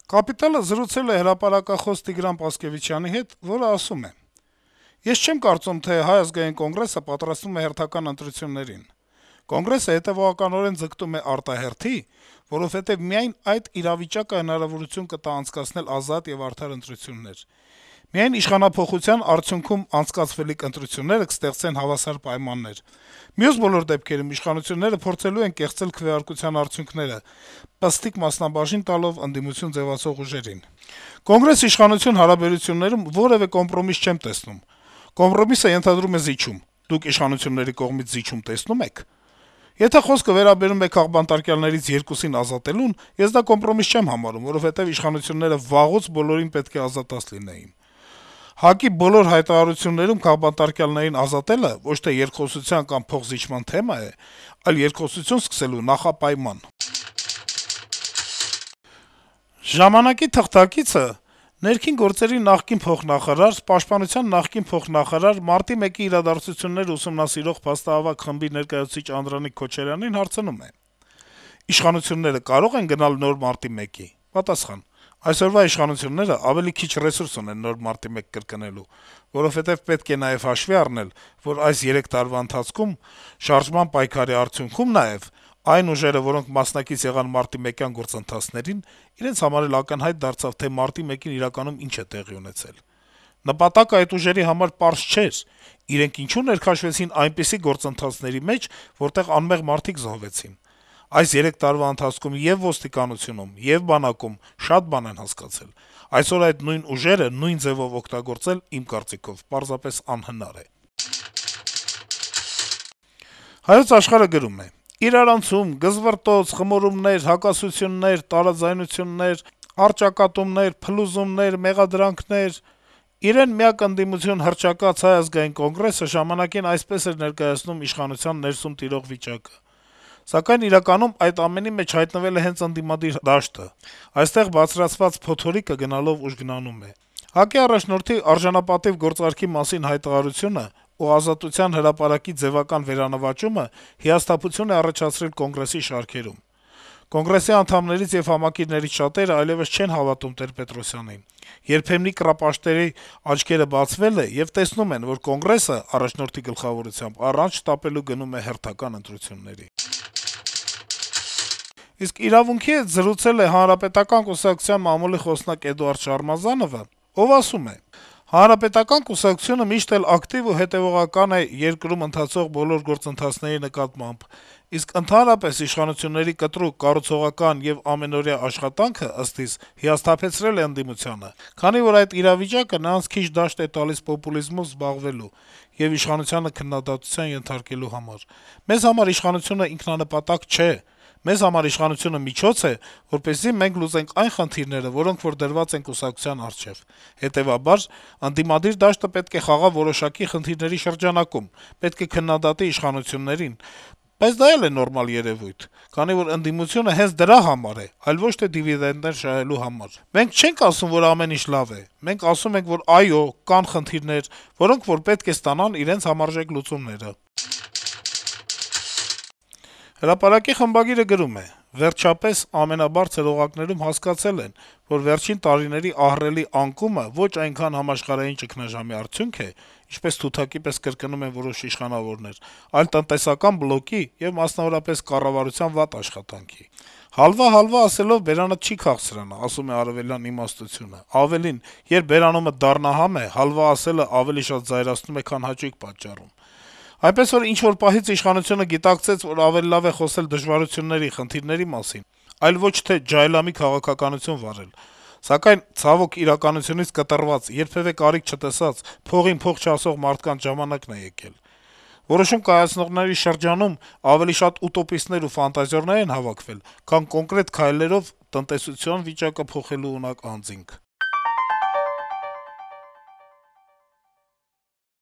Կապիտալը զրուցել է հրապարակախոս Տիգրան Պասկեւիչյանի հետ, որը ասում է. - «Ես չեմ կարծում, թե Հայ ազգային կոնգրեսը պատրաստվում է հերթական ընտրություններին: Կոնգրեսը հետեւողականորեն ձգտում է արտահերթի, որովհետեւ միայն այդ իրավիճակը հնարավորություն կտա անցկացնել ազատ եւ արդար ընտրություններ: Միայն իշխանափոխության արդյունքում անցկացվելիք ընտրությունները կստեղծեն հավասար պայմաններ: Մյուս բոլոր դեպքերում իշխանությունները փորձելու են կեղծել քվեարկության արդյունքները, պստիկ մասնաբաժին տալով ընդդիմություն ձեւացող ուժերին: Կոնգրես-իշխանություն հարաբերություններում որեւէ կոմպրոմիս չեմ տեսնում: Կոմպրոմիսը ենթադրում է զիջում: Դուք իշխանությունների կողմից զիջում տեսնո՞ւմ եք: Եթե խոսքը վերաբերում է քաղբանտարկյալներից երկուսին ազատելուն, ես դա կոմպրոմիս չեմ համարում, որովհետեւ իշխանությունները վաղուց բոլորին պետք է ազատած լինեին: ՀԱԿ-ի բոլոր հայտարարություններում քաղբանտարկյալներին ազատելը ոչ թե երկխոսության կամ փոխզիջման թեմա է, այլ երկխոսություն սկսելու նախապայման»: «Ժամանակ»-ի թղթակիցը ներքին գործերի նախկին փոխնախարար, պաշտպանության նախկին փոխնախարար, մարտի 1-ի իրադարձությունները ուսումնասիրող փաստահավաք խմբի ներկայացուցիչ Անդրանիկ Քոչարյանին հարցնում է. - «Իշխանությունները կարո՞ղ են գնալ նոր մարտի 1-ի»: Պատասխան. - «Այսօրվա իշխանությունները ավելի քիչ ռեսուրս ունեն նոր մարտի 1 կրկնելու, որովհետեւ պետք է նաեւ հաշվի առնել, որ այս 3 տարվա ընթացքում, շարժման պայքարի արդյունքում նաեւ, այն ուժերը, որոնք մասնակից եղան մարտի 1-յան գործընթացներին, իրենց համար էլ ակնհայտ դարձավ, թե մարտի 1-ին իրականում ինչ է տեղի ունեցել: Նպատակը այդ ուժերի համար պարզ չէր. իրենք ինչու ներքաշվեցին այնպիսի գործընթացների մեջ, որտեղ անմեղ մարդիկ զոհվեցին: Այս 3 տարվա ընթացքում ե'ւ ոստիկանությունում, ե'ւ բանակում շատ բան են հասկացել: Այսօր այդ նույն ուժերը նույն ձեւով օգտագործել, իմ կարծիքով, պարզապես անհնար է»: «Հայոց Աշխարհ»-ը գրում է. - «Իրարանցում, գզվռտոց, խմորումներ, հակասություններ, տարաձայնություններ, առճակատումներ, փլուզումներ, մեղադրանքներ… Իրեն միակ ընդդիմություն հռչակած Հայ ազգային կոնգրեսը ժամանակին այսպես էր ներկայացնում իշխանության ներսում տիրող վիճակը: Սակայն իրականում այդ ամենի մեջ հայտնվել է հենց ընդդիմադիր դաշտը: Այստեղ բարձրացված փոթորիկը գնալով ուժգնանում է: ՀԱԿ-ի առաջնորդի արժանապատիվ գործարքի մասին հայտարարությունը ու Ազատության հրապարակի ձեւական վերանվաճումը հիասթափություն է առաջացրել Կոնգրեսի շարքերում: Կոնգրեսի անդամներից եւ համակիրներից շատերը այլեւս չեն հավատում Տեր-Պետրոսյանին: Երբեմնի կռապաշտների աչքերը բացվել է, եւ տեսնում են, որ Կոնգրեսը առաջնորդի գլխավորությամբ առանց շտապելու գնում է հերթական ընտրությունների»: «Իրավունք»-ի հետ զրուցել է Հանրապետական կուսակցության մամուլի խոսնակ Էդուարդ Շարմազանովը, ով ասում է. - «Հանրապետական կուսակցությունը միշտ էլ ակտիվ ու հետեւողական է երկրում ընթացող բոլոր գործընթացների նկատմամբ, իսկ ընդհանրապես իշխանությունների կտրուկ, կառուցողական եւ ամենօրյա աշխատանքը, ըստ իս, հիասթափեցրել է ընդդիմությանը, քանի որ այդ իրավիճակը նրանց քիչ դաշտ է տալիս պոպուլիզմով զբաղվելու եւ իշխանությանը քննադատության ենթարկելու համար: Մեզ համար իշխանությունը ինքնանպատակ չէ: Մեզ համար իշխանությունը միջոց է, որպեսզի մենք լուծենք այն խնդիրները, որոնք որ դրված են կուսակցության առջեւ: Հետեւաբար, ընդդիմադիր դաշտը պետք է խաղա որոշակի խնդիրների շրջանակում, պետք է քննադատի իշխանություններին: Բայց դա էլ է նորմալ երեւույթ, քանի որ ընդդիմությունը հենց դրա համար է, այլ ոչ թե դիվիդենտներ շահելու համար: Մենք չենք ասում, որ ամեն ինչ լավ է: Մենք ասում ենք, որ այո, կան խնդիրներ, որոնք որ պետք է ստանան իրենց համարժեք լուծումները»: «Հրապարակ»-ի խմբագիրը գրում է. - «Վերջապես, ամենաբարձր օղակներում հասկացել են, որ վերջին տարիների ահռելի անկումը ոչ այնքան համաշխարհային ճգնաժամի արդյունք է, ինչպես թութակի պես կրկնում են որոշ իշխանավորներ, այլ տնտեսական բլոկի եւ մասնավորապես կառավարության վատ աշխատանքի: Հալվա ասելով բերանդ չի քաղցրանա, ասում է արեւելյան իմաստությունը: Ավելին, երբ բերանումդ դառնահամ է, հալվա ասելը ավելի շատ զայրացնում է, քան հաճույք պատճառում: Այնպես որ ինչ-որ պահից իշխանությունը գիտակցեց, որ ավելի լավ է խոսել դժվարությունների, խնդիրների մասին, այլ ոչ թե ջահելամի քաղաքականություն վարել: Սակայն, ցավոք, իրականությունից կտրված, երբեւէ կարիք չտեսած, փողին փող չասող մարդկանց ժամանակն է եկել: Որոշում կայացնողների շրջանում ավելի շատ ուտոպիստներ ու ֆանտազիորներ են հավաքվել, քան կոնկրետ քայլերով տնտեսության վիճակը փոխելու ունակ անձինք»: